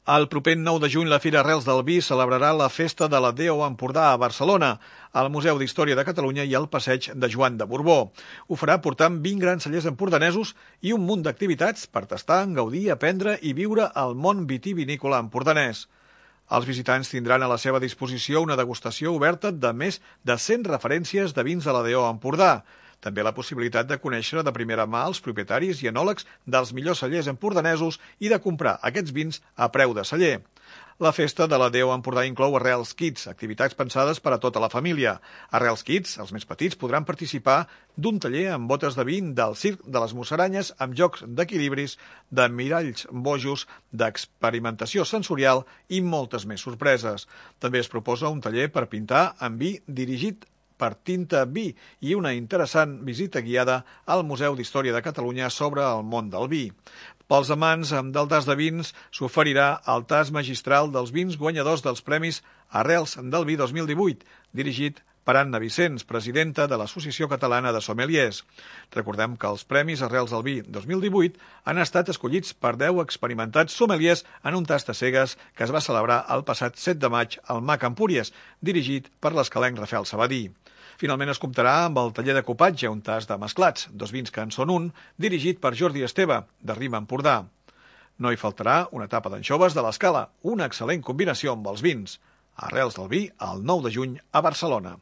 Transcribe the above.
El proper 9 de juny la Fira Arrels del Vi celebrarà la Festa de la DO Empordà a Barcelona, al Museu d'Història de Catalunya i al Passeig de Joan de Borbó. Ho farà portant 20 grans cellers empordanesos i un munt d'activitats per tastar, gaudir, aprendre i viure el món vitivinícola empordanès. Els visitants tindran a la seva disposició una degustació oberta de més de 100 referències de vins de la DO Empordà. També la possibilitat de conèixer de primera mà els propietaris i enòlegs dels millors cellers empordanesos i de comprar aquests vins a preu de celler. La festa de la DO Empordà inclou Arrels Kids, activitats pensades per a tota la família. Arrels Kids, els més petits, podran participar d'un taller amb botes de vi del Circ de les Musaranyes, amb jocs d'equilibris, de miralls bojos, d'experimentació sensorial i moltes més sorpreses. També es proposa un taller per pintar amb vi dirigit per Tinta Vi i una interessant visita guiada al Museu d'Història de Catalunya sobre el món del vi. Pels amants del tas de vins s'oferirà el tas magistral dels vins guanyadors dels Premis Arrels del Vi 2018, dirigit per Anna Vicens, presidenta de l'Associació Catalana de Sommeliers. Recordem que els Premis Arrels del Vi 2018 han estat escollits per 10 experimentats sommeliers en un tast a cegues que es va celebrar el passat 7 de maig al MAC Empúries, dirigit per l'escalenc Rafael Sabadí. Finalment es comptarà amb el taller de copatge, un tast de mesclats, 2 vins que en són un, dirigit per Jordi Esteve, de Rima Empordà. No hi faltarà una tapa d'anxoves de l'Escala, una excel·lent combinació amb els vins. Arrels del Vi, el 9 de juny, a Barcelona.